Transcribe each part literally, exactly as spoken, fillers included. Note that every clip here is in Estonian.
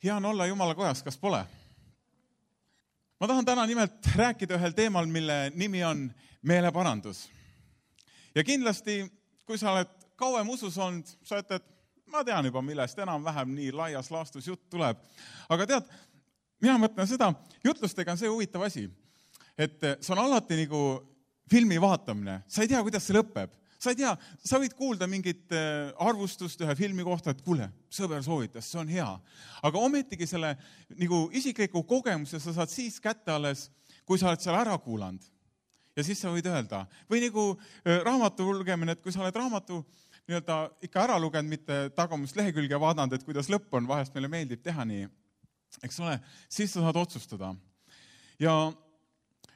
Hea on olla Jumala kojas, kas pole? Ma tahan täna nimelt rääkida ühel teemal, mille nimi on meeleparandus. Ja kindlasti, kui sa oled kauem usus olnud, sa ütled, ma tean juba, millest enam-vähem nii laias laastus jutt tuleb. Aga tead, mina mõtlen seda, jutlustega on see huvitav asi, et see on alati nagu filmi vaatamine. Sa ei tea, kuidas see lõpeb. Sa ei tea, sa võid kuulda mingit arvustust ühe filmi kohta, et kuule, sõber soovitas, see on hea. Aga ometigi selle nagu isikliku kogemuse sa saad siis kätte alles, kui sa oled seal ära kuulanud. Ja siis sa võid öelda. Või nagu raamatu lugemine, et kui sa oled raamatu nii-öelda ikka ära lugenud, mitte tagumist lehekülge vaadanud, et kuidas lõpp on, vahest meile meeldib teha nii, eks ole, siis sa saad otsustada. Ja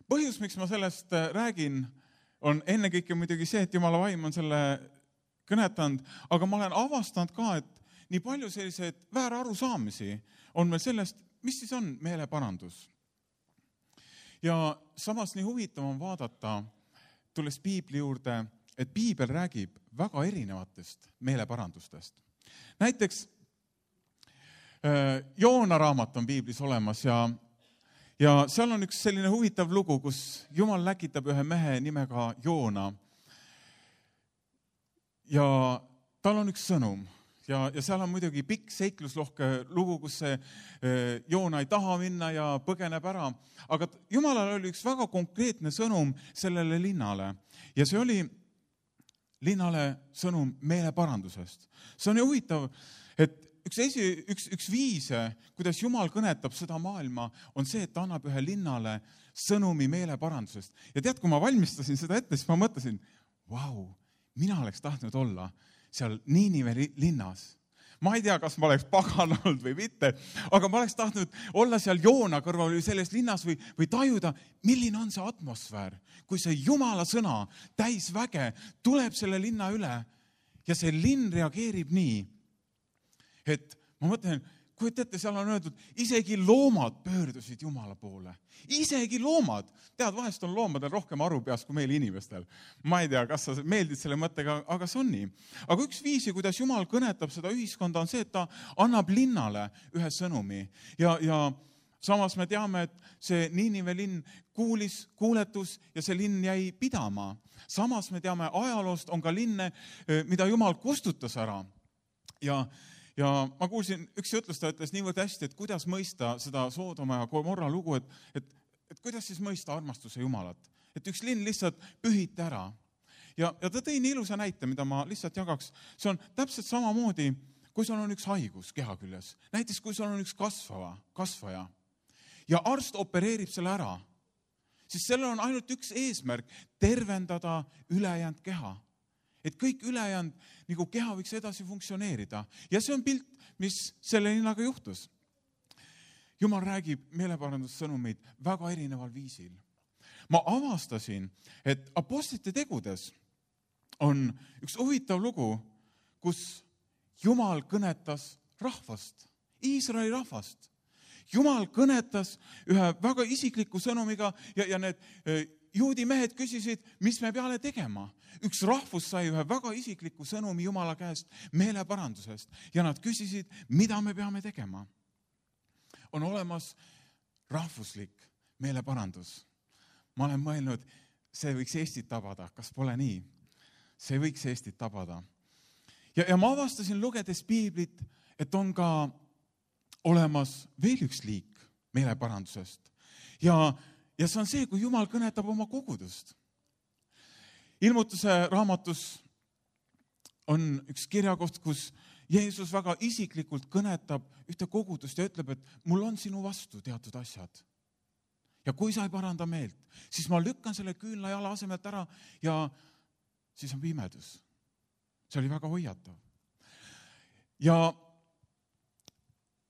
põhjus, miks ma sellest räägin, on ennekõike muidugi see, et Jumala vaim on selle kõnetanud, aga ma olen avastanud ka, et nii palju selliseid väärarusaamisi on meil sellest, mis siis on meeleparandus. Ja samas nii huvitav on vaadata, tulles Piibli juurde, et Piibel räägib väga erinevatest meeleparandustest. Näiteks Joona raamat on Piiblis olemas ja Ja seal on üks selline huvitav lugu, kus Jumal läkitab ühe mehe nimega Joona. Ja tal on üks sõnum. Ja, ja seal on muidugi pikk seikluslohke lugu, kus see Joona ei taha minna ja põgeneb ära. Aga Jumalal oli üks väga konkreetne sõnum sellele linnale. Ja see oli linnale sõnum meeleparandusest. See on ju huvitav, et Üks, esi, üks, üks viise, kuidas Jumal kõnetab seda maailma, on see, et ta annab ühe linnale sõnumi meeleparandusest. Ja tead, kui ma valmistasin seda ette, siis ma mõtlesin, vau, mina oleks tahtnud olla seal Niinive linnas. Ma ei tea, kas ma oleks pagan olnud või mitte, aga ma oleks tahtnud olla seal Joona kõrval või selles linnas või, või tajuda, milline on see atmosfäär, kui see Jumala sõna täis väge tuleb selle linna üle ja see linn reageerib nii, et ma mõtlen, kui teate, seal on öeldud, isegi loomad pöördusid Jumala poole. Isegi loomad. Tead, vahest on loomadel rohkem aru peas kui meil inimestel. Ma ei tea, kas sa meeldid selle mõttega, aga see on nii. Aga üks viisi, kuidas Jumal kõnetab seda ühiskonda, on see, et ta annab linnale ühe sõnumi. Ja, ja samas me teame, et see Niinive linn kuulis, kuuletus ja see linn jäi pidama. Samas me teame, ajaloost on ka linne, mida Jumal kustutas ära. Ja Ja ma kuulsin, üks jutlustaja ütles niivõrd hästi, et kuidas mõista seda Soodoma ja Gomorra lugu, et, et, et kuidas siis mõista armastuse Jumalat. Et üks linn lihtsalt pühiti ära. Ja, ja ta tõi nii ilusa näite, mida ma lihtsalt jagaks. See on täpselt samamoodi, kui sul on üks haigus keha küljes. Näiteks, kui sul on üks kasvava, kasvaja ja arst opereerib selle ära, siis sellel on ainult üks eesmärk, tervendada ülejäänud keha. Et kõik ülejäänud nagu keha võiks edasi funktsioneerida. Ja see on pilt, mis selle linnaga juhtus. Jumal räägib meeleparandussõnumeid väga erineval viisil. Ma avastasin, et apostlite tegudes on üks huvitav lugu, kus Jumal kõnetas rahvast, Iisraeli rahvast. Jumal kõnetas ühe väga isikliku sõnumiga ja, ja need juudi mehed küsisid, mis me peale tegema. Üks rahvus sai ühe väga isikliku sõnumi Jumala käest meeleparandusest ja nad küsisid, mida me peame tegema. On olemas rahvuslik meeleparandus. Ma olen mõelnud, see võiks Eestit tabada. Kas pole nii? See võiks Eestit tabada. Ja, ja ma avastasin lugedes Piiblit, et on ka olemas veel üks liik meeleparandusest. Ja Ja see on see, kui Jumal kõnetab oma kogudust. Ilmutuse raamatus on üks kirjakoht, kus Jeesus väga isiklikult kõnetab ühte kogudust ja ütleb, et mul on sinu vastu teatud asjad. Ja kui sa ei paranda meelt, siis ma lükkan selle küünla jala asemelt ära ja siis on pimedus. See oli väga hoiatav. Ja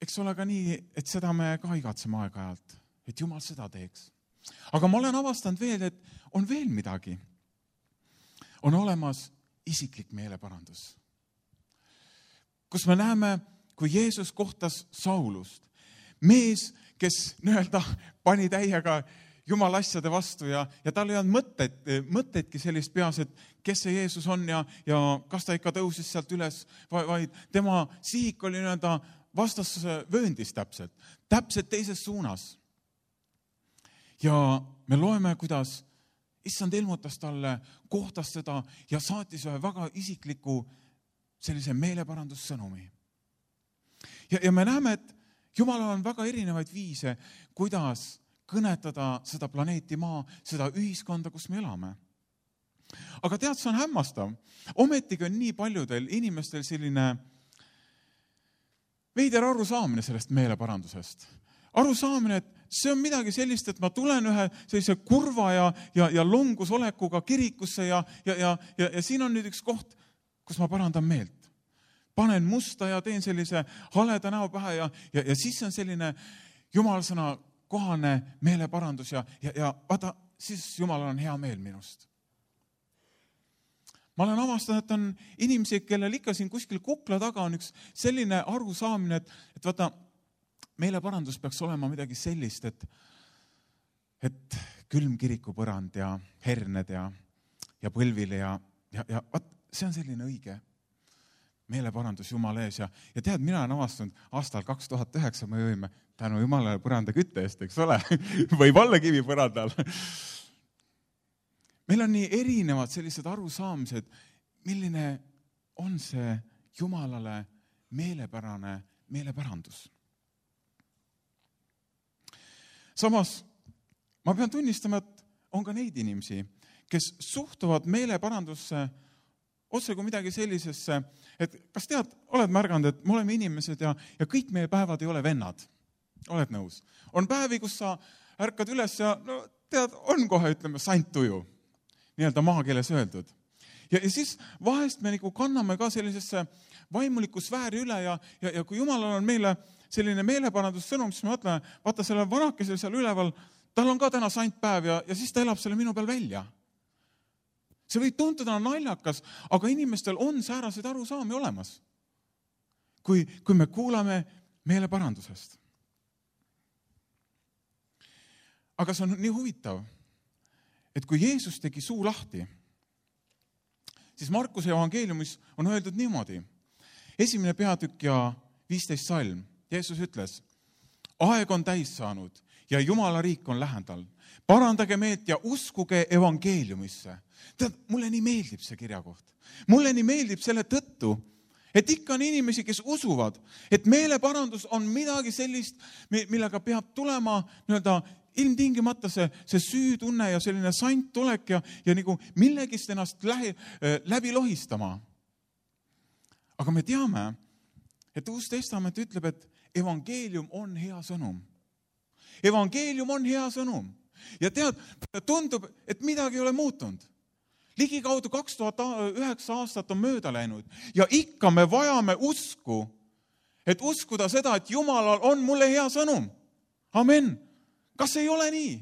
eks ole ka nii, et seda me ka igatseme aeg-ajalt, et Jumal seda teeks. Aga ma olen avastanud veel, et on veel midagi. On olemas isiklik meeleparandus. Kus me näeme, kui Jeesus kohtas Saulust. Mees, kes nii-öelda pani täiega Jumala asjade vastu ja, ja tal ei olnud mõtted, mõtedki sellist peas, et kes see Jeesus on ja, ja kas ta ikka tõusis sealt üles, vaid tema sihik oli nii-öelda vastasvööndis täpselt, täpselt teises suunas. Ja me loeme, kuidas issand ilmutas talle, kohtas teda ja saatis ühe väga isikliku sellise meeleparandussõnumi. Ja, ja me näeme, et Jumalal on väga erinevaid viise, kuidas kõnetada seda planeeti Maa, seda ühiskonda, kus me elame. Aga tead, see on hämmastav. Ometigi on nii paljudel inimestel selline veider arusaamine sellest meeleparandusest. Arusaamine, et see on midagi sellist, et ma tulen ühe sellise kurva ja, ja, ja longusolekuga kirikusse ja, ja, ja, ja, ja siin on nüüd üks koht, kus ma parandan meelt. Panen musta ja teen sellise haleda näo pähe ja, ja, ja siis on selline Jumala sõna kohane meeleparandus ja, ja, ja vaata, siis Jumalal on hea meel minust. Ma olen avastanud, et on inimesi, kellel ikka siin kuskil kukla taga on üks selline arusaamine, et, et vaata, meeleparandus peaks olema midagi sellist, et, et külm kirikupõrand ja herned ja, ja põlvile ja, ja, ja vaat, see on selline õige meeleparandus Jumala ees ja, ja tead, mina olen avastanud aastal kaks tuhat üheksa me võime tänu Jumalale põranda kütte eest, eks ole, võib olla kivi põrandal. Meil on nii erinevad sellised arusaamised, milline on see Jumalale meelepärane meelepärandus. Samas, ma pean tunnistama, et on ka neid inimesi, kes suhtuvad meeleparandusse otse kui midagi sellisesse, et kas tead, oled märganud, et me oleme inimesed ja, ja kõik meie päevad ei ole vennad. Oled nõus? On päevi, kus sa ärkad üles ja no, tead, on kohe, ütleme, santtuju, nii-öelda maakeeles öeldud. Ja, ja siis vahest me nagu kanname ka sellisesse vaimuliku sfääri üle ja, ja, ja kui Jumalal on meile selline meeleparandussõnum, siis me mõtleme, vaata selle vanakesel seal üleval, tal on ka täna santpäev ja, ja siis ta elab selle minu peal välja. See võib tuntuda naljakas, aga inimestel on säärased arusaami olemas, kui, kui me kuulame meeleparandusest. Aga see on nii huvitav, et kui Jeesus tegi suu lahti, siis Markuse evangeeliumis on öeldud niimoodi. Esimene peatükk ja viisteist salm. Jeesus ütles, aeg on täis saanud ja Jumala riik on lähendal. Parandage meelt ja uskuge evangeeliumisse. Tead, mulle nii meeldib see kirjakoht. Mulle nii meeldib selle tõttu, et ikka on inimesi, kes usuvad, et meeleparandus on midagi sellist, millega peab tulema nii-öelda ilmtingimata see, see süütunne ja selline santtulek ja, ja nagu millegist ennast lähi, läbi lohistama. Aga me teame, et Uus Testament ütleb, et evangeelium on hea sõnum. Evangeelium on hea sõnum. Ja tead, tundub, et midagi ei ole muutunud. Ligikaudu kaks tuhat üheksa aastat on mööda läinud ja ikka me vajame usku, et uskuda seda, et Jumalal on mulle hea sõnum. Amen. Kas ei ole nii?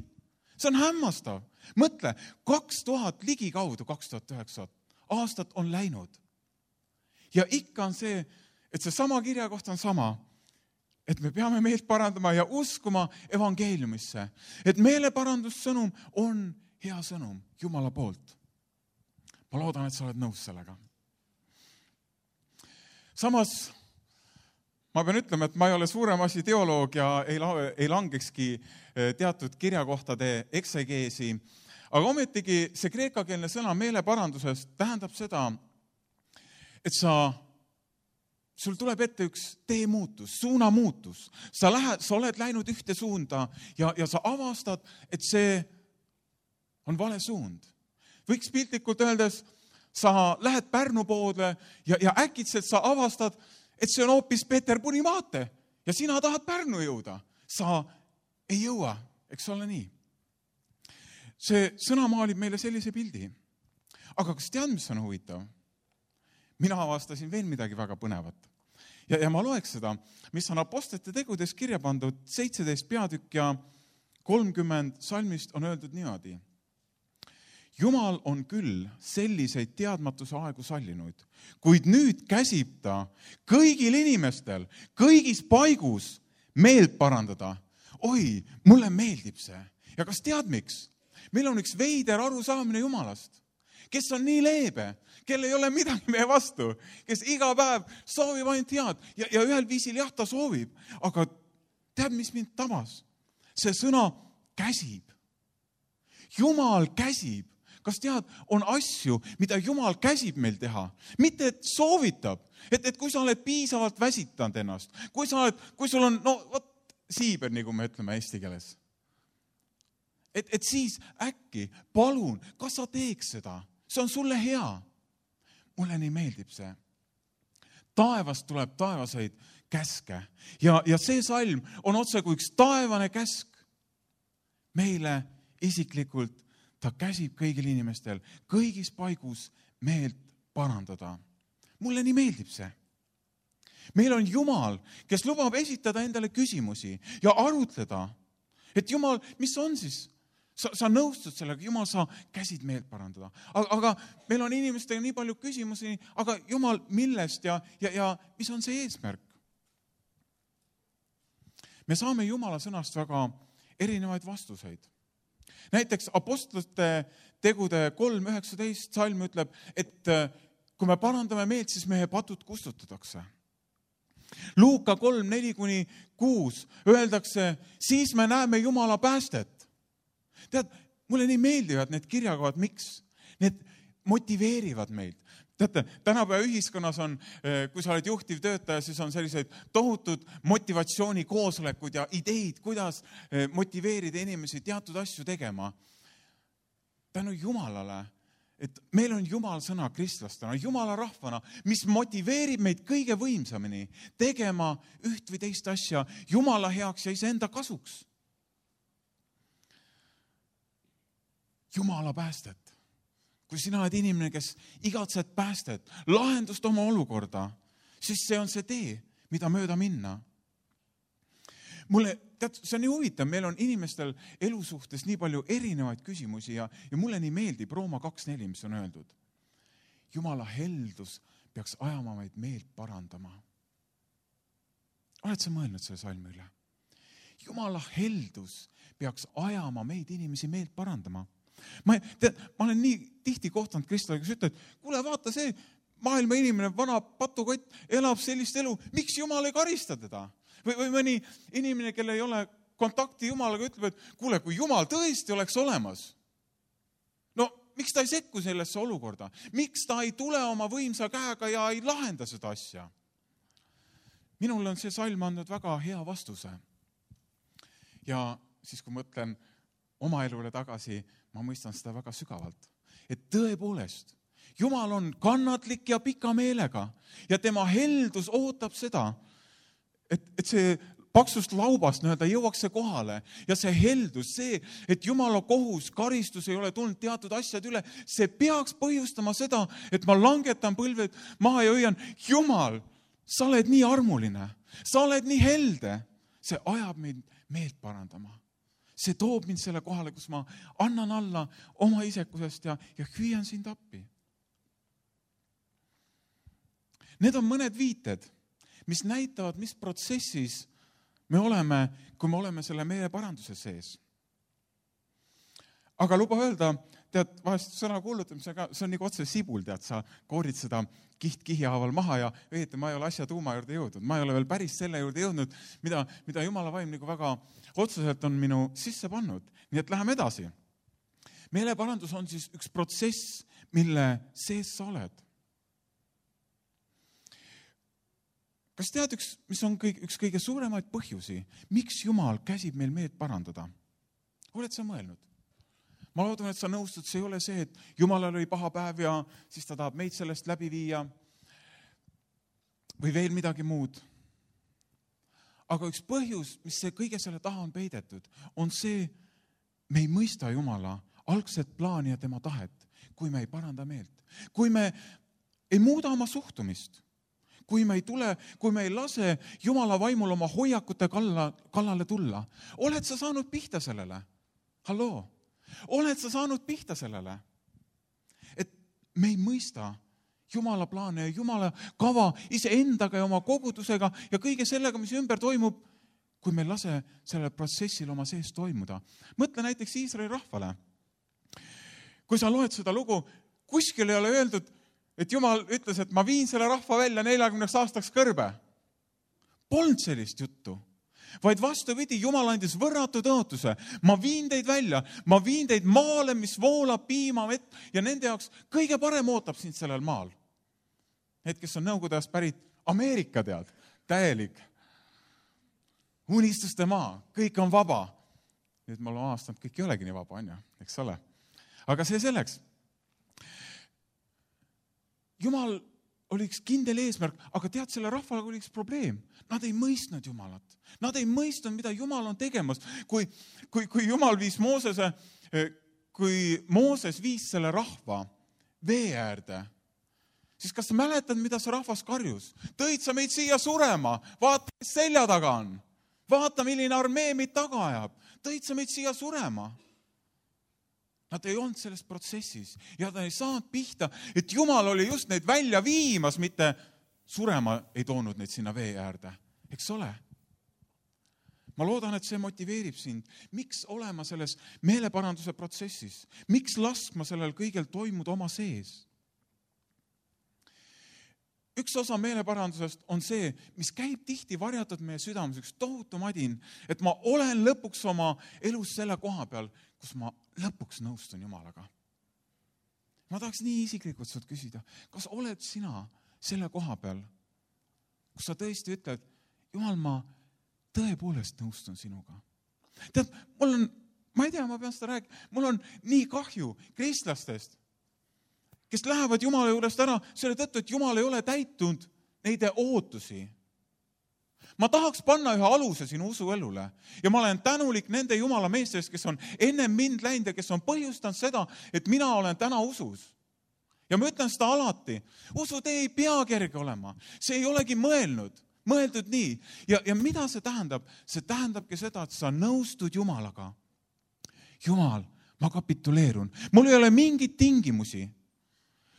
See on hämmastav. Mõtle, kaks tuhat ligikaudu kaks tuhat üheksa aastat on läinud. Ja ikka on see, et see sama kirjakoht on sama, et me peame meelt parandama ja uskuma evangeeliumisse. Et meeleparandussõnum on hea sõnum Jumala poolt. Ma loodan, et sa oled nõus sellega. Samas, ma pean ütlema, et ma ei ole suurem asi teoloog ja ei, ei langekski teatud kirjakohtade eksegeesi, aga ometigi see kreekakeelne sõna meeleparandusest tähendab seda, et sa sul tuleb ette üks teemuutus, suunamuutus. Sa, lähed, sa oled läinud ühte suunda ja, ja sa avastad, et see on vale suund. Võiks piltlikult öeldes, sa lähed Pärnu poole ja, ja äkitselt sa avastad, et see on hoopis Peterburi maate ja sina tahad Pärnu jõuda. Sa ei jõua, eks ole nii. See sõna maalib meile sellise pildi. Aga kas tead, mis on huvitav? Mina avastasin veel midagi väga põnevat. Ja, ja ma loeks seda, mis on apostlite tegudes kirja pandud seitseteist peatükk ja kolmkümmend salmist on öeldud niimoodi. Jumal on küll selliseid teadmatuse aegu sallinud, kuid nüüd käsib ta kõigil inimestel, kõigis paigus meelt parandada. Oi, mulle meeldib see. Ja kas tead miks? Meil on üks veider arusaamine Jumalast. kes on nii leebe, kel ei ole midagi meie vastu, kes iga päev soovib ainult head ja, ja ühel viisil jah, ta soovib, aga tead, mis mind tabas? See sõna käsib. Jumal käsib. Kas tead, on asju, mida Jumal käsib meil teha? Mitte, et soovitab, et, et kui sa oled piisavalt väsitanud ennast, kui sa oled, kui sul on, no vot, siiber, nagu me ütleme eesti keeles. Et, et siis äkki, palun, kas sa teeks seda? See on sulle hea. Mulle nii meeldib see. Taevast tuleb taevaseid käske. Ja, ja see salm on otse kui üks taevane käsk. Meile isiklikult ta käsib kõigil inimestel kõigis paigus meelt parandada. Mulle nii meeldib see. Meil on Jumal, kes lubab esitada endale küsimusi ja arutleda, et Jumal, mis on siis? Sa, sa nõustud sellega, Jumal, sa käsid meelt parandada. Aga, aga meil on inimestega nii palju küsimusi, aga Jumal, millest ja, ja, ja mis on see eesmärk? Me saame Jumala sõnast väga erinevaid vastuseid. Näiteks apostlite tegude kolm üheksateist salm ütleb, et kui me parandame meelt, siis meie patud kustutatakse. Luuka kolm neli kuni kuus öeldakse, siis me näeme Jumala päästet. Tead, mulle nii meeldivad need kirjakohad, miks? Need motiveerivad meid. Teate, tänapäeva ühiskonnas on, kui sa oled juhtiv töötaja, siis on sellised tohutud motivatsioonikoosolekud ja ideid, kuidas motiveerida inimesi teatud asju tegema. Tänu Jumalale, et meil on Jumal sõna kristlastena, Jumala rahvana, mis motiveerib meid kõige võimsamini tegema üht või teist asja Jumala heaks ja iseenda kasuks. Jumala päästet. Kui sina oled inimene, kes igatsed päästet, lahendust oma olukorda, siis see on see tee, mida mööda minna. Mulle, tead, see on nii huvitav, meil on inimestel elu suhtes nii palju erinevaid küsimusi ja, ja mulle nii meeldib Rooma kaks neli, mis on öeldud. Jumala heldus peaks ajama meid meelt parandama. Oled sa mõelnud selle salmi üle? Jumala heldus peaks ajama meid inimesi meelt parandama. Ma, tead, ma olen nii tihti kohtanud Kristole, kes ütleb, et kuule, vaata see maailma inimene, vana patukott, elab sellist elu, miks Jumal ei karista teda? Või, või mõni inimene, kelle ei ole kontakti Jumalaga, ütleb, et kuule, kui Jumal tõesti oleks olemas, no miks ta ei sekku sellesse olukorda? Miks ta ei tule oma võimsa käega ja ei lahenda seda asja? Minul on see salm andnud väga hea vastuse. Ja siis, kui mõtlen oma elule tagasi, ma mõistan seda väga sügavalt. Et tõepoolest, Jumal on kannatlik ja pika meelega ja tema heldus ootab seda, et, et see paksust laubast nii-öelda jõuaks see kohale ja see heldus, see, et Jumala kohus, karistus ei ole tulnud teatud asjad üle, see peaks põhjustama seda, et ma langetan põlved maha ja hoian, Jumal, sa oled nii armuline, sa oled nii helde, see ajab meid meelt parandama. See toob mind selle kohale, kus ma annan alla oma isekusest ja, ja hüüan sind appi. Need on mõned viited, mis näitavad, mis protsessis me oleme, kui me oleme selle meele paranduse sees. Aga luba öelda, tead, vahest sõna kuulutamisega, see on nagu otse sibul, tead, sa koorid seda kiht kihihaaval maha ja õieti, ma ei ole asja tuuma juurde jõudnud. Ma ei ole veel päris selle juurde jõudnud, mida, mida Jumala vaim nagu väga otseselt on minu sisse pannud. Nii et läheme edasi. Meeleparandus on siis üks protsess, mille sees sa oled. Kas tead, üks, mis on kõik, üks kõige suuremaid põhjusi, miks Jumal käsib meil meelt parandada? Oled sa mõelnud? Ma loodan, et sa nõustud, see ei ole see, et Jumalal oli paha päev ja siis ta tahab meid sellest läbi viia või veel midagi muud. Aga üks põhjus, mis see kõige selle taha on peidetud, on see, me ei mõista Jumala algset plaani ja tema tahet, kui me ei paranda meelt. Kui me ei muuda oma suhtumist, kui me ei tule, kui me ei lase Jumala vaimul oma hoiakute kalla, kallale tulla. Oled sa saanud pihta sellele? Halloo? Oled sa saanud pihta sellele? Et me ei mõista Jumala plaane ja Jumala kava iseendaga ja oma kogudusega ja kõige sellega, mis ümber toimub, kui me lase sellel protsessil oma sees toimuda. Mõtle näiteks Iisraeli rahvale. Kui sa loed seda lugu, kuskil ei ole öeldud, et Jumal ütles, et ma viin selle rahva välja neljakümneks aastaks kõrbe. Polnud sellist juttu. Vaid vastupidi, Jumal andis võrratu tõotuse. Ma viin teid välja, ma viin teid maale, mis voolab piima, vett ja nende jaoks kõige parem ootab sind sellel maal. Need, kes on Nõukogude ajast pärit, Ameerika tead, täielik. Unistuste maa, kõik on vaba. Nüüd ma olen aastanud, kõik ei olegi nii vaba, on ju, eks ole. Aga see selleks. Jumal oli üks kindel eesmärk, aga tead, selle rahval oli üks probleem. Nad ei mõistnud Jumalat. Nad ei mõistnud, mida Jumal on tegemas. Kui, kui, kui Jumal viis Moosese, kui Mooses viis selle rahva vee äärde, siis kas sa mäletad, mida see rahvas karjus? Tõid sa meid siia surema, vaata, kes selja taga on. Vaata, milline armee meid taga ajab. Tõid sa meid siia surema. Nad ei olnud selles protsessis ja ta ei saanud pihta, et Jumal oli just neid välja viimas, mitte surema ei toonud neid sinna vee äärde. Eks ole? Ma loodan, et see motiveerib sind. Miks olema selles meeleparanduse protsessis? Miks laskma sellel kõigel toimuda oma sees? Üks osa meeleparandusest on see, mis käib tihti varjatud meie südames, üks tohutu madin, et ma olen lõpuks oma elus selle koha peal, kus ma lõpuks nõustun Jumalaga. Ma tahaks nii isiklikult sult küsida, kas oled sina selle koha peal, kus sa tõesti ütled, Jumal, ma tõepoolest nõustun sinuga. Tead, mul on, ma ei tea, ma pean seda rääkima, mul on nii kahju kristlastest, kes lähevad Jumala juurest ära selle tõttu, et Jumal ei ole täitunud neide ootusi. Ma tahaks panna ühe aluse sinu usuelule ja ma olen tänulik nende Jumala meestest, kes on enne mind läinud ja kes on põhjustanud seda, et mina olen täna usus. Ja ma ütlen seda alati, usutee ei pea kerge olema, see ei olegi mõelnud, mõeldud nii. Ja, ja mida see tähendab? See tähendabki seda, et sa nõustud Jumalaga. Jumal, ma kapituleerun, mul ei ole mingit tingimusi.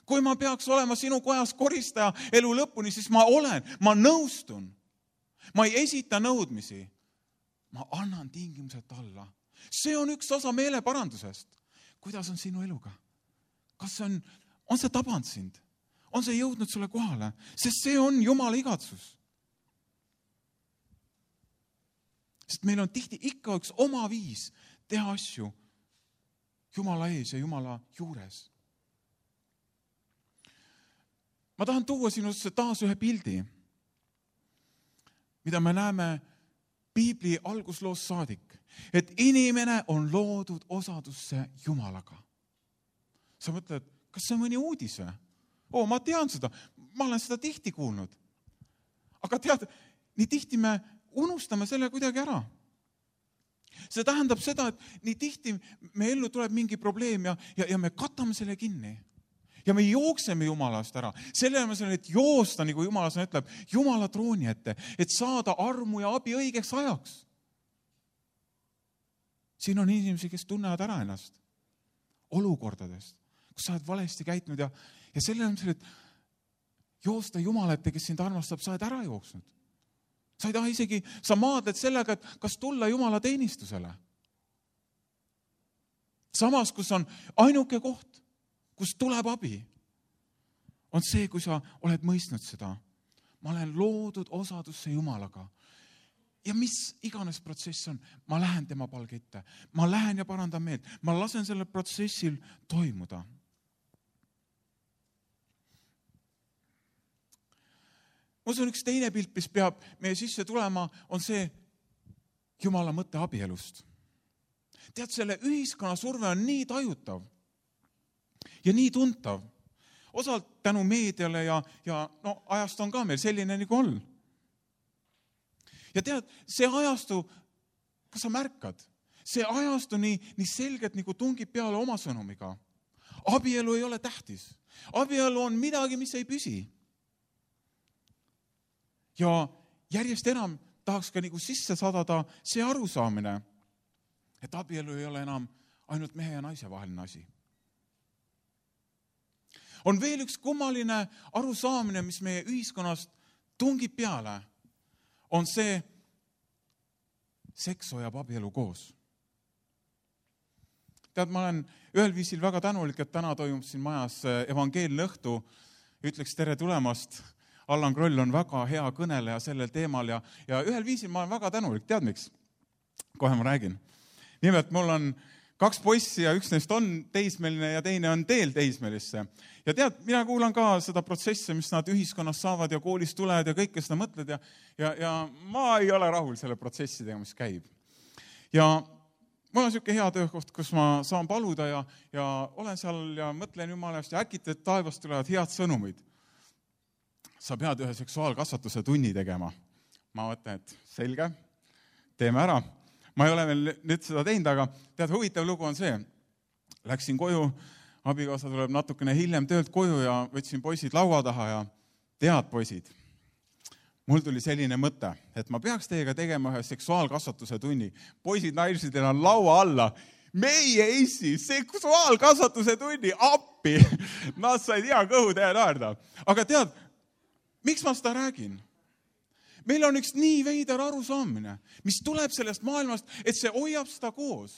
Kui ma peaks olema sinu kojas koristaja elu lõpuni, siis ma olen, ma nõustun. Ma ei esita nõudmisi. Ma annan tingimused alla. See on üks osa meeleparandusest. Kuidas on sinu eluga? Kas see on, on see tabanud sind? On see jõudnud sulle kohale? Sest see on Jumala igatsus. Sest meil on tihti ikka üks oma viis teha asju Jumala ees ja Jumala juures. Ma tahan tuua sinusse taas ühe pildi, mida me näeme Piibli algusloost saadik, et inimene on loodud osadusse Jumalaga. Sa mõtled, kas see on mõni uudis või? Oo, ma tean seda, ma olen seda tihti kuulnud. Aga tead, nii tihti me unustame selle kuidagi ära. See tähendab seda, et nii tihti me ellu tuleb mingi probleem ja, ja, ja me katame selle kinni. Ja me jookseme Jumalast ära. Selle on see, et joosta, nagu Jumala sõna ütleb, Jumala trooni ette, et saada armu ja abi õigeks ajaks. Siin on inimesi, kes tunnevad ära ennast olukordadest, kus sa oled valesti käitunud ja, ja selle on see, et joosta Jumala ette, kes sind armastab, sa oled ära jooksnud. Sa ei taha isegi, sa maadled sellega, et kas tulla Jumala teenistusele. Samas, kus on ainuke koht, kus tuleb abi, on see, kui sa oled mõistnud seda. Ma olen loodud osadusse Jumalaga. Ja mis iganes protsess on, ma lähen tema palge ette. Ma lähen ja parandan meelt. Ma lasen sellel protsessil toimuda. Ma usun, üks teine pilt, mis peab meie sisse tulema, on see Jumala mõtte abielust. Tead, selle ühiskonna surve on nii tajutav ja nii tuntav. Osalt tänu meediale ja, ja no, ajast on ka meil selline nagu on. Ja tead, see ajastu, kas sa märkad, see ajastu nii, nii selgelt nagu tungib peale oma sõnumiga. Abielu ei ole tähtis. Abielu on midagi, mis ei püsi. Ja järjest enam tahaks ka nagu sisse sadada see arusaamine, et abielu ei ole enam ainult mehe ja naise vaheline asi. On veel üks kummaline arusaamine, mis meie ühiskonnast tungib peale, on see seks hoiab abielu koos. tead, ma olen ühel viisil väga tänulik, et täna toimub siin majas evangeelne õhtu. Ütleks tere tulemast. Allan Kroll on väga hea kõneleja sellel teemal ja, ja ühel viisil ma olen väga tänulik. Tead miks? Kohe ma räägin. Nimelt, mul on kaks poissi ja üks neist on teismeline ja teine on teel teismelisse. Ja tead, mina kuulan ka seda protsessi, mis nad ühiskonnas saavad ja koolis tulevad ja kõike seda mõtled ja, ja, ja ma ei ole rahul selle protsessidega, mis käib. Ja mul on niisugune hea töökoht, kus ma saan paluda ja, ja olen seal ja mõtlen Jumala eest ja äkki taevast tulevad head sõnumid. Sa pead ühe seksuaalkasvatuse tunni tegema. Ma mõtlen, et selge, teeme ära. Ma ei ole veel nüüd seda teinud, aga tead, huvitav lugu on see. Läksin koju, abikaasa tuleb natukene hiljem töölt koju ja võtsin poisid laua taha ja tead, poisid, mul tuli selline mõte, et ma peaks teiega tegema ühe seksuaalkasvatuse tunni. Poisid, naised on laua alla. Meie Eesti seksuaalkasvatuse tunni appi. Nad said hea kõhu teha naerda. Aga tead, miks ma seda räägin? Meil on üks nii veider arusaamine, mis tuleb sellest maailmast, et see hoiab seda koos.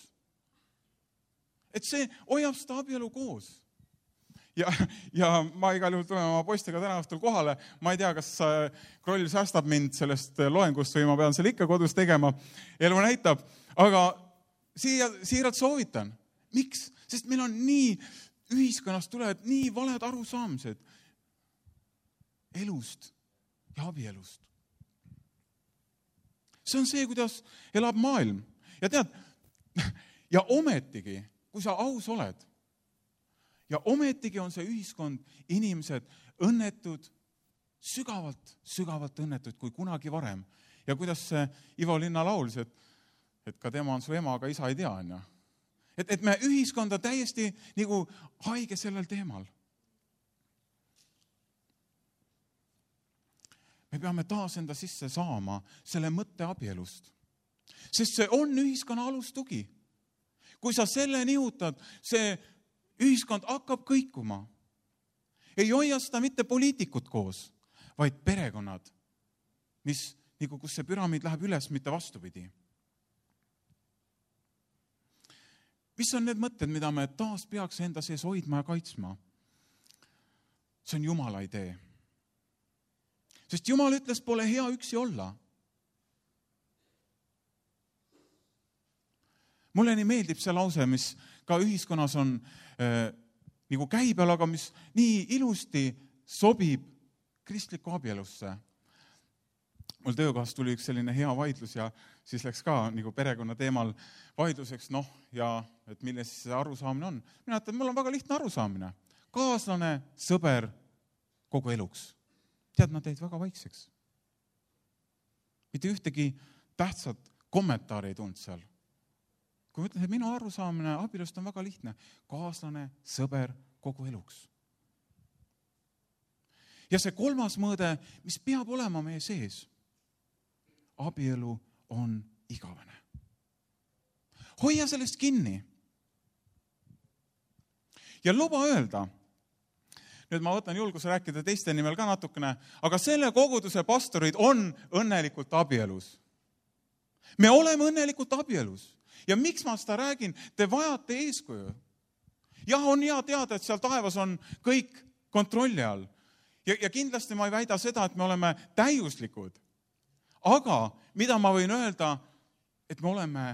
Et see hoiab seda abielu koos. Ja, ja ma igal juhul tulen oma poistega täna õhtul kohale. Ma ei tea, kas Kroll säästab mind sellest loengust või ma pean selle ikka kodus tegema. Elu näitab. Aga siia, siiralt soovitan. Miks? Sest meil on nii, ühiskonnast tulevad nii valed arusaamised elust ja abielust. See on see, kuidas elab maailm. Ja tead, ja ometigi, kui sa aus oled, ja ometigi on see ühiskond, inimesed õnnetud, sügavalt, sügavalt õnnetud kui kunagi varem. Ja kuidas see Ivo Linna laulis, et, et ka tema on su ema, aga isa ei tea. Et, et me ühiskonda täiesti nagu haige sellel teemal. Me peame taas enda sisse saama selle mõtte abielust. Sest see on ühiskonna alustugi. Kui sa selle nihutad, see ühiskond hakkab kõikuma. Ei hoia seda mitte poliitikud koos, vaid perekonnad, mis, nagu kus see püramiid läheb üles, mitte vastupidi. Mis on need mõtted, mida me taas peaks enda sees hoidma ja kaitsma? See on Jumala idee. Sest Jumal ütles, pole hea üksi olla. Mulle nii meeldib see lause, mis ka ühiskonnas on äh, nagu käibel, aga mis nii ilusti sobib kristliku abielusse. Mul töökohas tuli üks selline hea vaidlus ja siis läks ka nagu perekonna teemal vaidluseks, noh, ja et milles see arusaamine on. Mina ütlen, mul on väga lihtne arusaamine. Kaaslane, sõber, kogu eluks. Tead, nad teid väga vaikseks. Mitte ühtegi tähtsat kommentaari ei tulnud seal. Kui ma ütlen, et minu arusaamine abielust on väga lihtne. Kaaslane, sõber, kogu eluks. Ja see kolmas mõõde, mis peab olema meie sees, abielu on igavene. Hoia sellest kinni. Ja luba öelda, nüüd ma võtan julguse rääkida teiste nimel ka natukene, aga selle koguduse pastorid on õnnelikult abielus. Me oleme õnnelikult abielus. Ja miks ma seda räägin? Te vajate eeskuju. Jah, on hea teada, et seal taevas on kõik kontrolli all. Ja, ja kindlasti ma ei väida seda, et me oleme täiuslikud. Aga mida ma võin öelda, et me oleme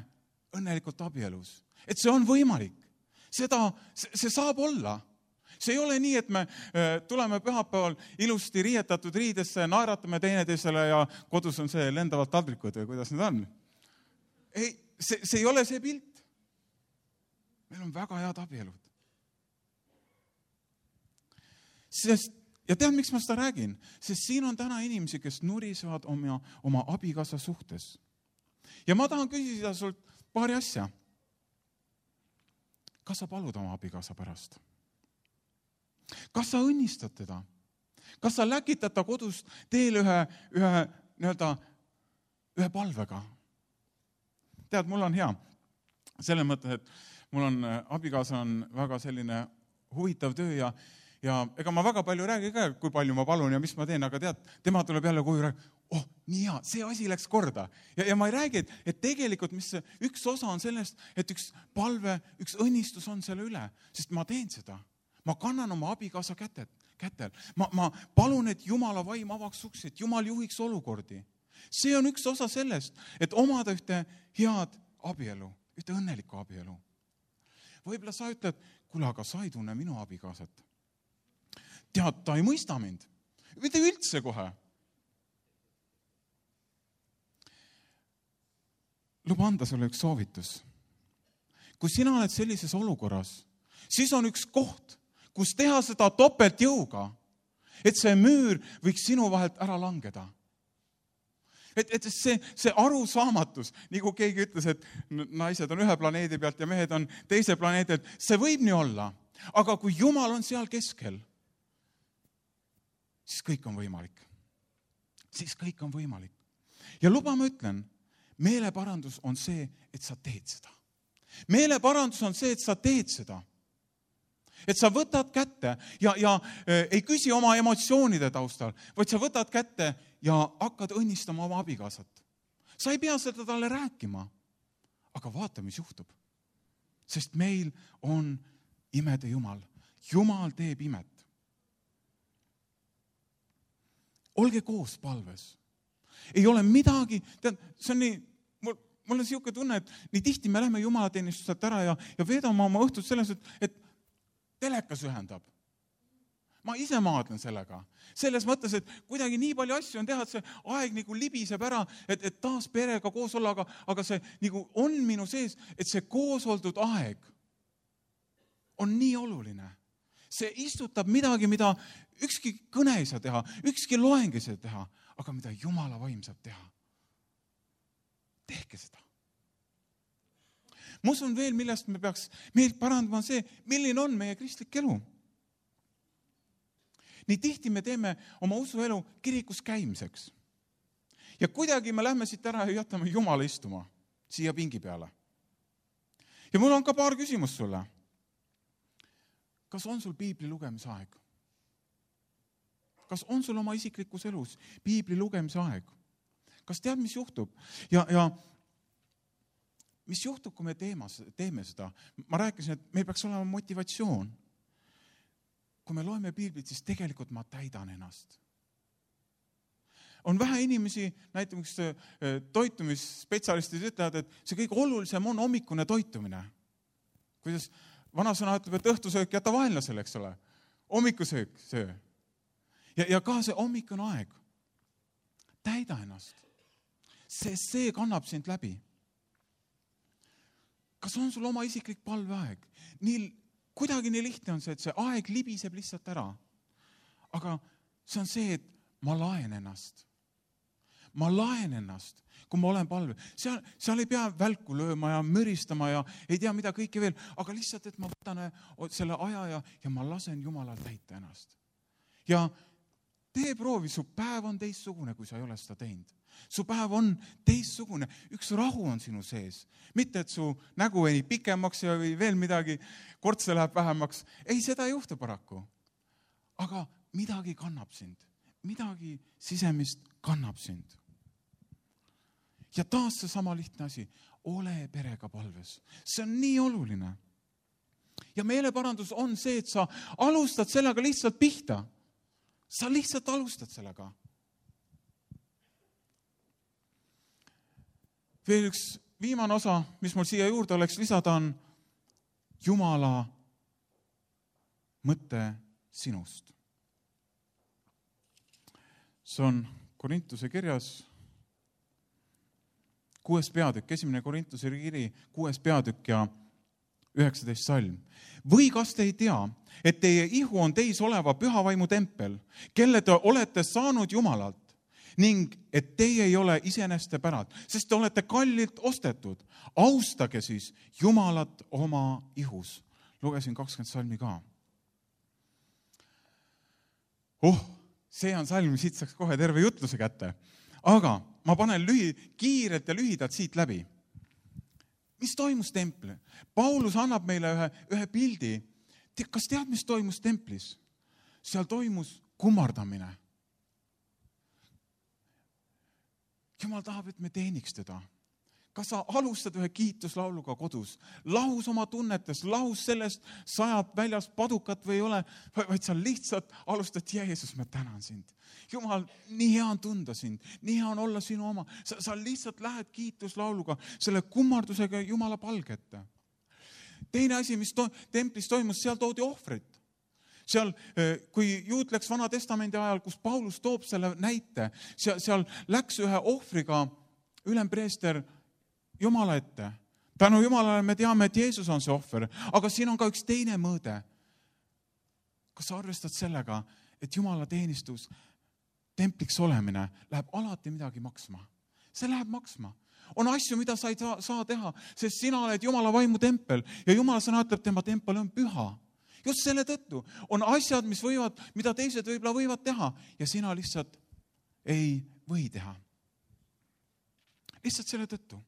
õnnelikult abielus. Et see on võimalik. Seda, see saab olla. See ei ole nii, et me tuleme pühapäeval ilusti riietatud riidesse, naeratame teineteisele ja kodus on see lendavad taldrikud või kuidas need on. Ei, see, see ei ole see pilt. Meil on väga head abielud. Sest, ja tead, miks ma seda räägin? Sest siin on täna inimesi, kes nurisevad oma, oma abikaasa suhtes. Ja ma tahan küsida sult paari asja. Kas sa palud oma abikaasa pärast? Kas sa õnnistad teda? Kas sa läkitad ta kodust teel ühe, ühe, nii-öelda, ühe palvega? Tead, mul on hea. Selle mõttes, et mul on, abikaasa on väga selline huvitav töö ja, ja ega ma väga palju räägi ka, kui palju ma palun ja mis ma teen, aga tead, tema tuleb jälle koju räägi, oh, nii hea, see asi läks korda. Ja, ja ma ei räägi, et, et tegelikult mis see, üks osa on sellest, et üks palve, üks õnnistus on selle üle, sest ma teen seda. Ma kannan oma abikaasa kätet, kätel. Ma, ma palun, et Jumala vaim avaks uksi, et Jumal juhiks olukordi. See on üks osa sellest, et omada ühte head abielu, ühte õnnelikku abielu. Võib-olla sa ütled, kuule, aga sa ei tunne minu abikaasat. Tead, ta ei mõista mind. Mitte üldse kohe. Luba anda sulle üks soovitus. Kui sina oled sellises olukorras, siis on üks koht, kus teha seda topelt jõuga, et see müür võiks sinu vahelt ära langeda. Et, et see, see arusaamatus, nagu keegi ütles, et naised on ühe planeedi pealt ja mehed on teise planeedi pealt, see võib nii olla. Aga kui Jumal on seal keskel, siis kõik on võimalik. Siis kõik on võimalik. Ja luba ma ütlen, meeleparandus on see, et sa teed seda. Meeleparandus on see, et sa teed seda. Et sa võtad kätte ja, ja äh, ei küsi oma emotsioonide taustal, vaid sa võtad kätte ja hakkad õnnistama oma abikaasat. Sa ei pea seda talle rääkima, aga vaata, mis juhtub. Sest meil on imede Jumal. Jumal teeb imet. Olge koos palves. Ei ole midagi, tead, see on nii, mul, mul on siuke tunne, et nii tihti me lähme Jumalateenistuselt ära ja, ja veedame oma õhtut selles, et, et telekas ühendab. Ma ise maadlen sellega. Selles mõttes, et kuidagi nii palju asju on teha, et see aeg nagu libiseb ära, et, et taas perega koos olla, aga, aga see nagu on minu sees, et see koos oldud aeg on nii oluline. See istutab midagi, mida ükski kõne ei saa teha, ükski loeng ei saa teha, aga mida Jumala vaim saab teha. Tehke seda. Ma usun veel, millest me peaks meilt parandama see, milline on meie kristlik elu. Nii tihti me teeme oma usuelu kirikus käimiseks. Ja kuidagi me lähme siit ära ja jätame Jumala istuma siia pingi peale. Ja mul on ka paar küsimust sulle. Kas on sul piibli lugemise aeg? Kas on sul oma isiklikus elus piibli lugemise aeg? Kas tead, mis juhtub? Ja, ja mis juhtub, kui me teeme, teeme seda? Ma rääkisin, et meil peaks olema motivatsioon. Kui me loeme piiblit, siis tegelikult ma täidan ennast. On vähe inimesi, näiteks toitumisspetsialistid ütlevad, et see kõige olulisem on hommikune toitumine. Kuidas vanasõna ütleb, et õhtusöök jäta vaenlasele, eks ole. Hommikusöök, söö. Ja, ja ka see hommikune aeg. Täida ennast. See, see kannab sind läbi. Kas on sul oma isiklik palveaeg? Nii kuidagi nii lihtne on see, et see aeg libiseb lihtsalt ära. Aga see on see, et ma laen ennast. Ma laen ennast, kui ma olen palve. Seal, seal ei pea välku lööma ja müristama ja ei tea mida kõike veel, aga lihtsalt, et ma võtan selle aja ja, ja ma lasen Jumalal täita ennast. Ja tee proovi, su päev on teistsugune, kui sa ei ole seda teinud. Su päev on teistsugune, üks rahu on sinu sees. Mitte, et su nägu ei pikemaks ja veel midagi, kortse läheb vähemaks. Ei, seda ei juhtu paraku. Aga midagi kannab sind. Midagi sisemist kannab sind. Ja taas see sama lihtne asi. Ole perega palves. See on nii oluline. Ja meeleparandus on see, et sa alustad sellega lihtsalt pihta. Sa lihtsalt alustad sellega. Veel üks viimane osa, mis mul siia juurde oleks lisada, on Jumala mõte sinust. See on Korintuse kirjas kuues peatükk, esimene Korintuse kiri, kuues peatükk ja üheksateist salm. Või kas te ei tea, et teie ihu on teis oleva püha vaimu tempel, kelle te olete saanud Jumalalt, ning et teie ei ole iseeneste pärad, sest te olete kallilt ostetud. Austage siis Jumalat oma ihus. Lugesin kakskümmend salmi ka. Oh, see on salm, siit saaks kohe terve jutluse kätte. Aga ma panen lühi, kiirelt ja lühidalt siit läbi. Mis toimus templi? Paulus annab meile ühe, ühe pildi. Kas tead, mis toimus templis? Seal toimus kummardamine. Jumal tahab, et me teeniks teda. Kas sa alustad ühe kiituslauluga kodus, lahus oma tunnetes, lahus sellest, sajab väljas padukat või ei ole, vaid sa lihtsalt alustad, Jeesus, ma tänan sind. Jumal, nii hea on tunda sind, nii hea on olla sinu oma. Sa, sa lihtsalt lähed kiituslauluga, selle kummardusega Jumala palgette. Teine asi, mis to- templis toimus, seal toodi ohvrit. Seal, kui juut läks Vana Testamendi ajal, kus Paulus toob selle näite, seal, seal läks ühe ohvriga ülempreester Jumala ette. Tänu Jumalale me teame, et Jeesus on see ohver, aga siin on ka üks teine mõõde. Kas sa arvestad sellega, et Jumala teenistus, templiks olemine läheb alati midagi maksma? See läheb maksma. On asju, mida sa ei saa, saa teha, sest sina oled Jumala vaimu tempel ja Jumala sõna ütleb, tema tempel on püha. Just selle tõttu on asjad, mis võivad, mida teised võib-olla võivad teha ja sina lihtsalt ei või teha. Lihtsalt selle tõttu.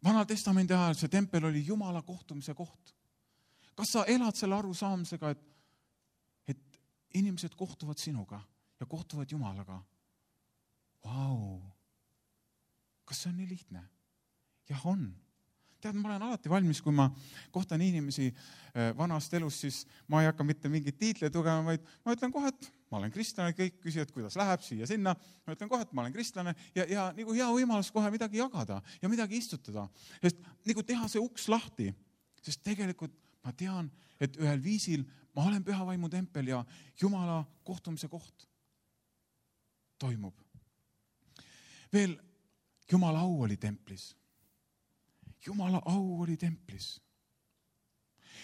Vanal Testamendi ajal see tempel oli Jumala kohtumise koht. Kas sa elad selle arusaamisega, et, et inimesed kohtuvad sinuga ja kohtuvad Jumalaga? Vau! Kas see on nii lihtne? Jah, on. Tead, ma olen alati valmis, kui ma kohtan inimesi vanast elust, siis ma ei hakka mitte mingit tiitleid tugema, vaid ma ütlen kohe, et ma olen kristlane, kõik küsivad, kuidas läheb siia sinna. Ma ütlen kohe, et ma olen kristlane ja, ja nagu hea võimalus kohe midagi jagada ja midagi istutada. Sest nagu teha see uks lahti, sest tegelikult ma tean, et ühel viisil ma olen püha vaimu tempel ja Jumala kohtumise koht toimub. Veel Jumala au oli templis. Jumala au oli templis.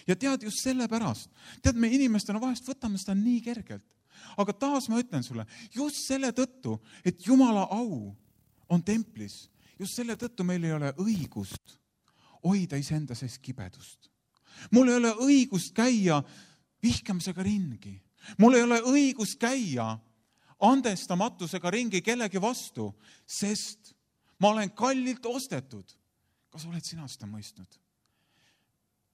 Ja tead just selle pärast, tead me inimestena vahest võtame seda nii kergelt, aga taas ma ütlen sulle, just selle tõttu, et Jumala au on templis, just selle tõttu meil ei ole õigust hoida iseenda sees kibedust. Mul ei ole õigust käia vihkamisega ringi. Mul ei ole õigust käia andestamatusega ringi kellegi vastu, sest ma olen kallilt ostetud. Kas oled sina seda mõistnud?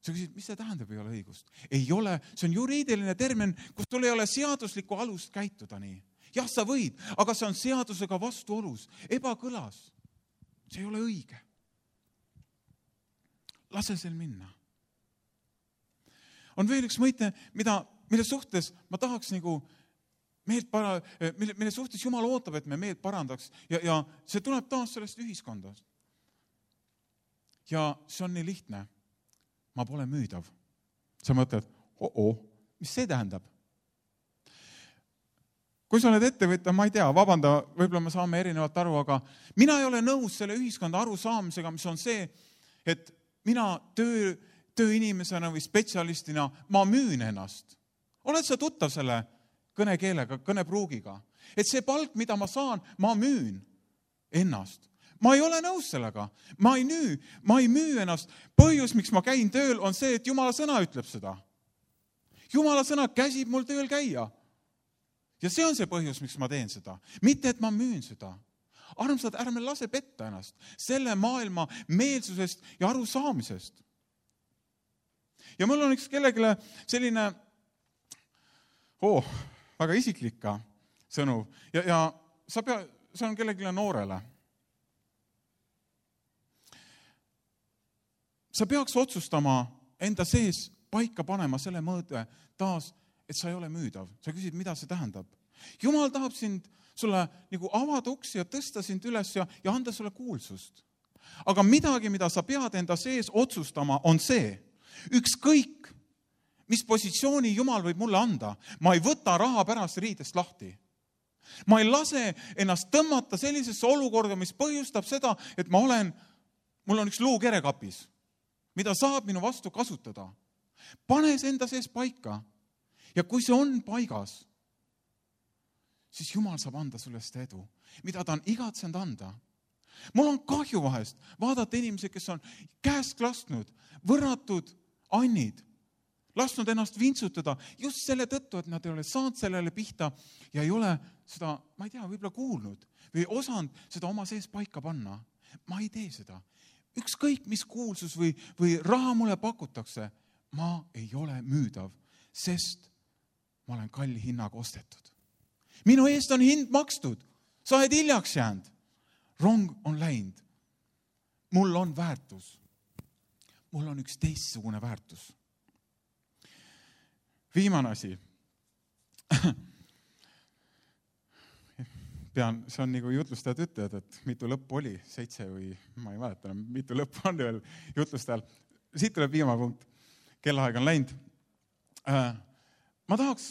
Sa küsid, mis see tähendab, ei ole õigust? Ei ole, see on juriidiline termin, kus sul ei ole seaduslikku alust käituda nii. Jah, sa võid, aga see on seadusega vastuolus, ebakõlas. See ei ole õige. Lase sel minna. On veel üks mõite, mida, mille suhtes ma tahaks nagu meelt para, mille, mille suhtes Jumal ootab, et me meelt parandaks ja, ja see tuleb taas sellest ühiskondast. Ja see on nii lihtne. Ma pole müüdav. Sa mõtled, oh-oh, mis see tähendab? Kui sa oled ettevõtja, ma ei tea, vabanda, võib-olla me saame erinevalt aru, aga mina ei ole nõus selle ühiskonda arusaamisega, mis on see, et mina töö, tööinimesena või spetsialistina, ma müün ennast. Oled sa tuttav selle kõnekeelega, kõnepruugiga? Et see palk, mida ma saan, ma müün ennast. Ma ei ole nõus sellega. Ma ei müü, ma ei müü ennast. Põhjus, miks ma käin tööl, on see, et Jumala sõna ütleb seda. Jumala sõna käsib mul tööl käia. Ja see on see põhjus, miks ma teen seda. Mitte, et ma müün seda. Armsad, ärme lase petta ennast selle maailma meelsusest ja arusaamisest. Ja mul on üks kellegile selline oh, väga isiklik sõnu. Ja, ja sa pea, see on kellegile noorele. Sa peaks otsustama enda sees paika panema selle mõõde taas, et sa ei ole müüdav. Sa küsid, mida see tähendab. Jumal tahab sind, sulle nagu avada uksi ja tõsta sind üles ja, ja anda sulle kuulsust. Aga midagi, mida sa pead enda sees otsustama, on see. Ükskõik, mis positsiooni Jumal võib mulle anda, ma ei võta raha pärast riidest lahti. Ma ei lase ennast tõmmata sellisesse olukorda, mis põhjustab seda, et ma olen, mul on üks luukere kapis, mida saab minu vastu kasutada. Pane see enda sees paika. Ja kui see on paigas, siis Jumal saab anda sulle seda edu, mida ta on igatsenud anda. Mul on kahju vahest vaadata inimesi, kes on käest lasknud, võrratud annid, lasknud ennast vintsutada just selle tõttu, et nad ei ole saanud sellele pihta ja ei ole seda, ma ei tea, võib-olla kuulnud või osanud seda oma sees paika panna. Ma ei tee seda. Ükskõik, mis kuulsus või, või raha mulle pakutakse, ma ei ole müüdav, sest ma olen kalli hinnaga ostetud. Minu eest on hind makstud. sa oled hiljaks jäänud. Rong on läinud. Mul on väärtus. Mul on üks teistsugune väärtus. Viimane asi. Pean, see on nagu jutlustajad ütlevad, et mitu lõppu oli, seitse või ma ei mäleta, mitu lõppu on veel jutlustajal. Siit tuleb viimane punkt. Kellaaeg on läinud. Ma tahaks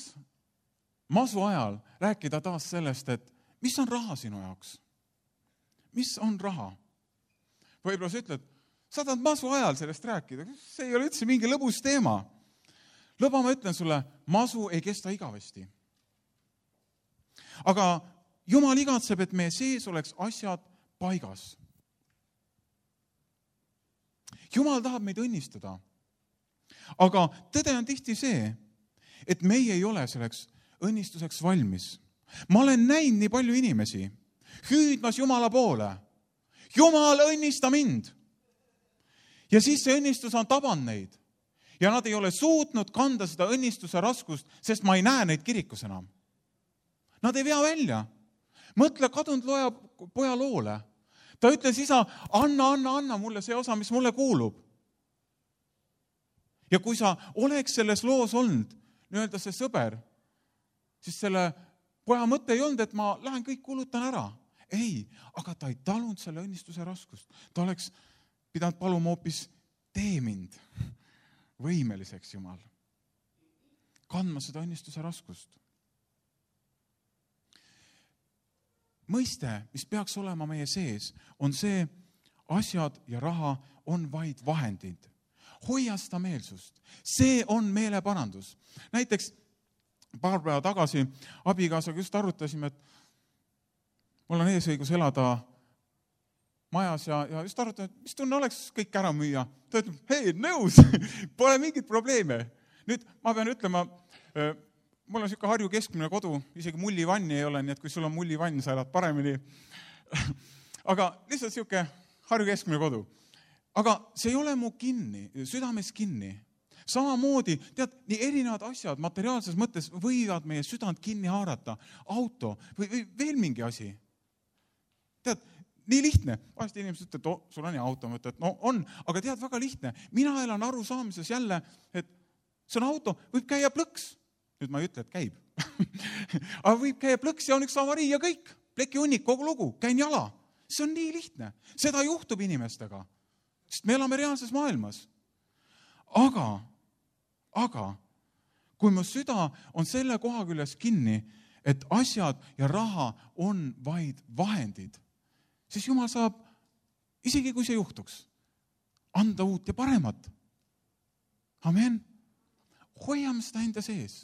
masu ajal rääkida taas sellest, et mis on raha sinu jaoks? Mis on raha? Võib-olla sa ütled, sa tahad masu ajal sellest rääkida. See ei ole üldse mingi lõbus teema. Lõba ma ütlen sulle, masu ei kesta igavesti. Aga Jumal igatseb, et meie sees oleks asjad paigas. Jumal tahab meid õnnistada. Aga tõde on tihti see, et meie ei ole selleks õnnistuseks valmis. Ma olen näinud nii palju inimesi hüüdmas Jumala poole. Jumal, õnnista mind! Ja siis see õnnistus on tabanud neid. Ja nad ei ole suutnud kanda seda õnnistuse raskust, sest ma ei näe neid kirikus enam. Nad ei vea välja. Mõtle kadunud loja poja loole. Ta ütles, isa, anna, anna, anna mulle see osa, mis mulle kuulub. Ja kui sa oleks selles loos olnud, nii-öelda see sõber, siis selle poja mõte ei olnud, et ma lähen kõik kulutan ära. Ei, aga ta ei talunud selle õnnistuse raskust. Ta oleks pidanud paluma hoopis tee mind võimeliseks, Jumal. Kandma seda õnnistuse raskust. Mõiste, mis peaks olema meie sees, on see, asjad ja raha on vaid vahendid. Hoia seda meelsust. See on meeleparandus. Näiteks paar päeva tagasi abikaasaga just arutasime, et mul on eesõigus elada majas ja, ja just arutasime, et mis tunne oleks kõik ära müüa. Ta ütleb, hei, nõus, pole mingit probleeme. Nüüd ma pean ütlema, mul on siuke Harju keskmine kodu, isegi mullivanni ei ole, nii et kui sul on mullivann, sa elad paremini. Aga lihtsalt siuke Harju keskmine kodu. Aga see ei ole mu kinni, südames kinni. Samamoodi, tead, nii erinevad asjad materiaalses mõttes võivad meie südant kinni haarata. Auto või, või veel mingi asi. Tead, nii lihtne. Vahest inimesed ütlevad, et oh, sul on ja auto, mõtled, et no on, aga tead, väga lihtne. Mina elan aru saamises jälle, et see on auto, võib käia plõks. Nüüd ma ei ütle, et käib. Aga võib käia plõks ja on üks avarii ja kõik. Pleki hunnik, kogu lugu, käin jala. See on nii lihtne. Seda juhtub inimestega. Sest me elame reaalses maailmas. Aga, aga, kui mu süda on selle koha küljes kinni, et asjad ja raha on vaid vahendid, siis Jumal saab, isegi kui see juhtuks, anda uut ja paremat. Amen. Hoiame seda enda sees.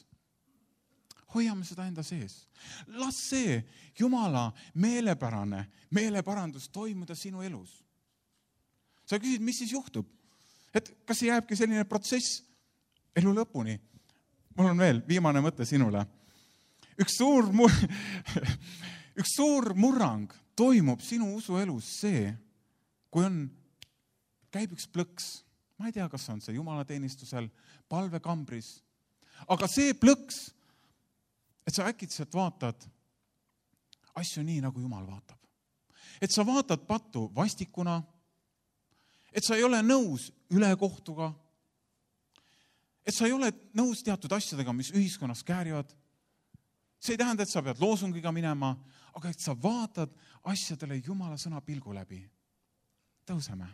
Hoiame seda enda sees. Las see Jumala meelepärane, meeleparandus toimuda sinu elus. Sa küsid, mis siis juhtub? Et kas see jääbki selline protsess elu lõpuni? Mul on veel viimane mõte sinule. Üks suur, mur... üks suur murrang toimub sinu usuelus see, kui on, käib üks plõks. Ma ei tea, kas on see jumalateenistusel, palvekambris. Aga see plõks, et sa äkitselt vaatad asju nii, nagu Jumal vaatab. Et sa vaatad pattu vastikuna, et sa ei ole nõus ülekohtuga, et sa ei ole nõus teatud asjadega, mis ühiskonnas käärivad. See ei tähenda, et sa pead loosungiga minema, aga et sa vaatad asjadele Jumala sõna pilgu läbi. Tõuseme.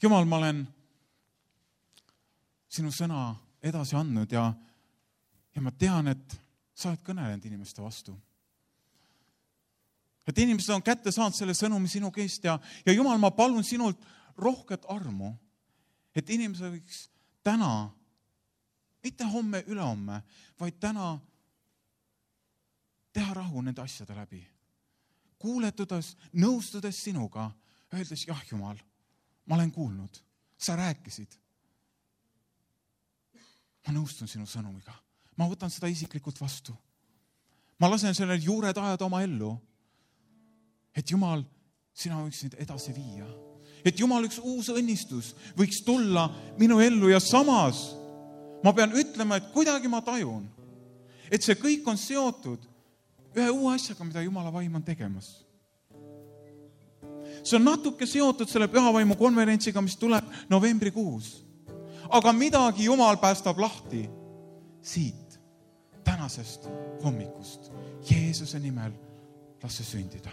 Jumal, ma olen sinu sõna edasi andnud ja, ja ma tean, et sa oled kõnelenud inimeste vastu. Et inimesed on kätte saanud selle sõnumi sinu käest ja, ja Jumal, ma palun sinult rohket armu, et inimesed võiks täna, mitte homme, ülehomme, vaid täna teha rahu nende asjade läbi. Kuuletudes, nõustudes sinuga, öeldes, jah, Jumal, ma olen kuulnud, sa rääkisid. Ma nõustun sinu sõnumiga. Ma võtan seda isiklikult vastu. Ma lasen sellel juured ajada oma ellu. Et Jumal, sina võiksid edasi viia. Et Jumal, üks uus õnnistus võiks tulla minu ellu ja samas ma pean ütlema, et kuidagi ma tajun, et see kõik on seotud ühe uue asjaga, mida Jumala vaim on tegemas. See on natuke seotud selle pühavaimu konverentsiga, mis tuleb novembrikuus. Aga midagi Jumal päästab lahti siit, tänasest hommikust. Jeesuse nimel las see sündida.